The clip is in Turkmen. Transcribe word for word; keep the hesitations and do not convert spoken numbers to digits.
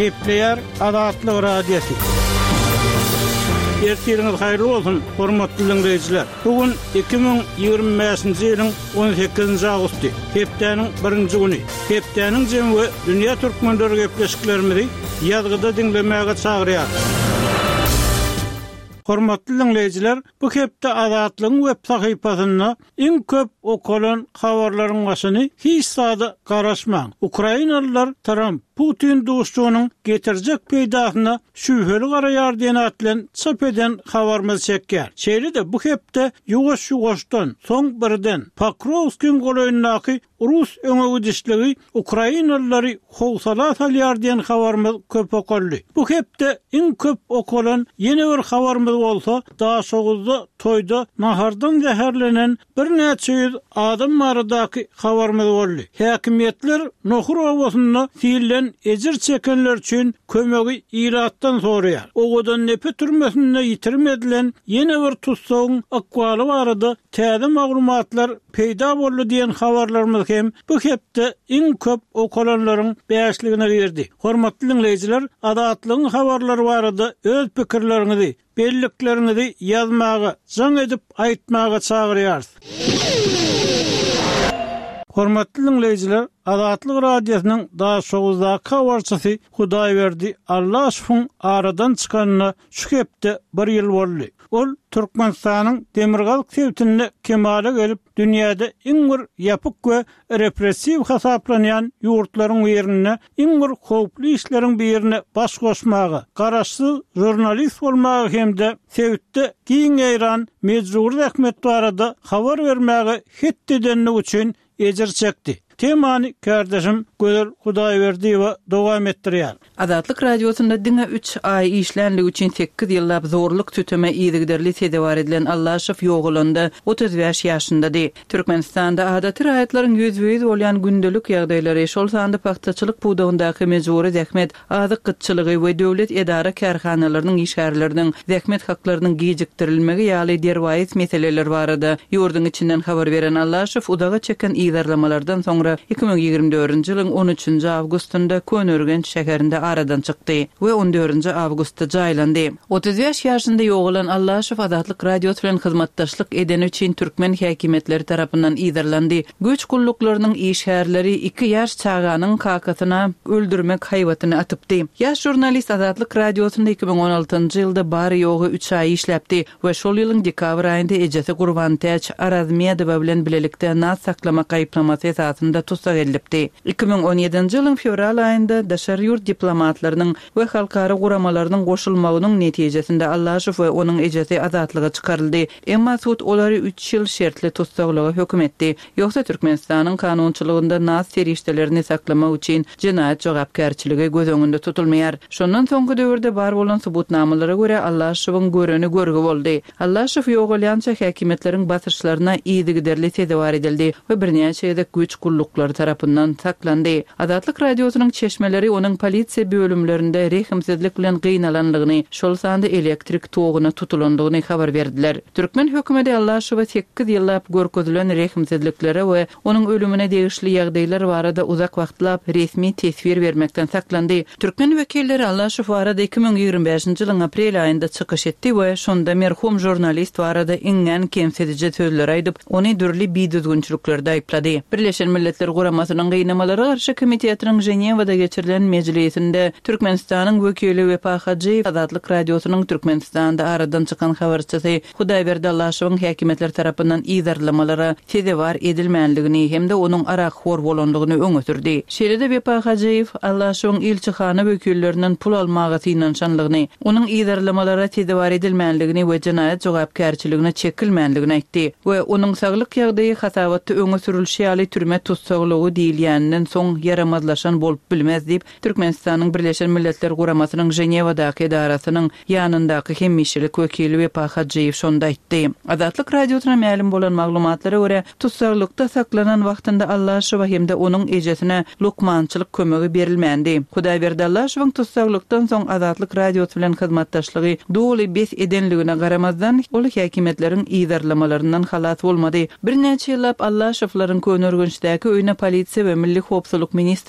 Gepleýär Azatlyk Radiosy. Ertiriňiz haýyrly bolsun, hormatly dinleýjiler. Bu gün iki müň ýigrimi bäşinji ýylyň on sekizinji awgusty, hepdäniň birinji güni. Hepdäniň jemi we dünýä türkmenleri gepleşiklerimizi ýazgyda diňlemäge çagyrýar. Hormatly dinleýjiler, bu hepde Azatlygyň web sahypasynda iň köp okalan habarlaryň başyny hiç zada garaşmaň. Ukrainalylar Tramp Putin duşuşygynyň getirjek peýdasyna şübheli garaýar diýen at bilen çap eden habarymyz çekýär. Şeýle-de bu hepde ýuwaş-ýuwaşdan, soň birden Pokrovskiň golaýyndaky Rus öňegidişligi Ukrainalylary howsala salýar diýen habarymyz köp okaldy. Bu hepde iň köp okalan ýene bir habarymyz bolsa, Daşoguzda toýda nahardan zäherlenen birnäçe ýüz adam baradaky habarymyz boldy. Häkimiýetler Nohur obasynda silden ejir çekenler üçin kömegi ilatdan soraýar. Owadan nepe türmesinde ýitirim edilen ýene bir tutsagyň ykbaly barada täze maglumatlar peýda boldy diýen habarlarymyz hem bu hepde iň köp okalanlaryň bäşligine girdi. Hormatly dinleýjiler, Azatlygyň habarlary barada öz pikirleriňizi, bellikleriňizi ýazmaga, jaň edip aýtmaga çagyrýarys. Hormatly dinleýjiler, Azatlyk Radiosynyň Daşoguzdaky habarçysy Hudaýberdi Allaşowyň aradan çykanyna şu hepde bir ýyl boldy. Ol Türkmenistanyň Demirgazyk sebitinde kemala gelip, dünýäde iň bir ýapyk we repressiw hasaplanýan ýurtlaryň birinde iň bir howply işleriň birine baş goşmaga, garaşsyz žurnalist bolmaga hem-de sebitde giň ýaýran mejbury zähmet barada habar bermäge het edenligi üçin ejir çekdi. Temany kardeşim Gözel Hudaýberdiýewa dowam etdirýär. Azatlyk Radiosynda diňe üç aý işlänligi üçin sekiz ýyllap zorluk tüteme yzygiderli sezewar edilen Allaşow ýogalanda otuz bäş ýaşyndady. Türkmenistanda adaty raýatlaryň ýüzbe-ýüz bolýan gündelik ýagdaýlary, şol sanda pagtaçylyk pudagyndaky mejbury zähmet, azyk gytçylygy we döwlet edara kärhanalarynyň işgärleriniň zähmet haklarynyň gijikdirilmegi ýaly derwaýys meseleler barada ýurduň içinden habar beren Allaşow uzaga çeken yzarlamalardan soňra iki müň ýigrimi dördünji ýylyň on üçünji awgustynda Köneürgenç şäherinde aradan çykdy we on dördünji awgustda jaýlandy. Otuz bäş ýaşynda ýogalan Allaşow Azatlyk Radiosy bilen hyzmatdaşlyk edeni üçin türkmen häkimiýetleri tarapyndan yzarlandy. Güýç gulluklarynyň işgärleri iki ýaş çaganyň kakasyna öldürmek haýbatyny atypdy. Ýaş žurnalist Azatlyk Radiosynda iki müň on altynjy ýylda bary ýogy üç aý işläpdi we şol ýylyň dekabr aýynda ejesi Gurbantäç Arazmedowa bilen bilelikde naz saklamak aýyplamasy esasynda tussag edilipdi. Iki müň on ýedinji ýylyň fewral aýynda daşary ýurt diplomatlarynyň we halkara guramalarynyň goşulmagynyň netijesinde Allaşow we onuň ejesi azatlyga çykaryldy. Emma sud olary üç ýyl şertli tussaglyga höküm etdi. Ýogsa Türkmenistanyň kanunçylygynda naz serişdelerini saklamak üçin jenaýat jogapkärçiligi göz öňünde tutulmaýar. Şondan soňky döwürde bar bolan subutnamalara görä Allaşowyň göreni görgi boldy. Allaşow ýogalýança häkimiýetleriň basyşlaryna yzygiderli sezewar edildi we birnäçe gezek güýç gulluklary tarapyndan saklandy. Azatlyk Radiosynyň çeşmeleri onuň polisiýa bölümlerinde rehimsizlik bilen gynalanlygyny, şol sanda elektrik togyna tutulandygyny habar berdiler. Türkmen hökümeti Allaşowa sekiz ýyllap görkezilen rehimsizliklere we onuň ölümine degişli ýagdaýlar barada uzak wagtlap resmi teswir bermekden saklandy. Türkmen wekilleri Allaşow barada iki müň ýigrimi bäşinji ýylyň aprel aýynda çykyş etdi we şonda merhum žurnalist barada iňňän kemsidiji sözler aýdyp, ony dürli bidüzgünçiliklerde aýyplady. Birleşen Milletler Guramasynyň Gynamalara garşy komitetiniň Ženewada geçirilen mejlisinde Türkmenistanyň wekili Wepa Hajyýew Azatlyk Radiosynyň Türkmenistanda aradan çykan habarçysy Hudaýberdi Allaşowyň häkimiýetler tarapyndan yzarlamalara sezewar edilmänligini hem-de onuň arakhor bolanlygyny öňe sürdi. Şeýle-de Wepa Hajyýew Allaşowyň ilçihana wekillerinden pul almaga synanyşanlygyny, onuň yzarlamalara sezewar edilmänligini we jenaýat jogapkärçiligine çekilmänligini aýtdy we onuň saglyk ýagdaýy hasabatda öňe sürülşi ýaly türme tussaglygy diýilýäninden soň ýaramazlaşan bolup bilmez diýip, Türkmenistanyň Birleşen Milletler Guramasynyň Ženewadaky edarasynyň ýanyndaky hemişelik wekili Wepa Hajyýew şonda aýtdy. Azatlyk Radiosyna mälim bolan maglumatlara görä, tussaglykda saklanan wagtynda Allaşowa hem-de onuň ejesine lukmançylyk kömegi berilmändi. Hudaýberdi Allaşowyň tussaglykdan soň Azatlyk Radiosy bilen hyzmatdaşlygy doly bes edenligine garamazdan, ol häkimiýetleriň yzarlamalaryndan halas bolmady. Birnäçe ýyllap Allaşowlaryň Köneürgençdäki öýüne polisiýa we Milli howpsuzlyk ministrligi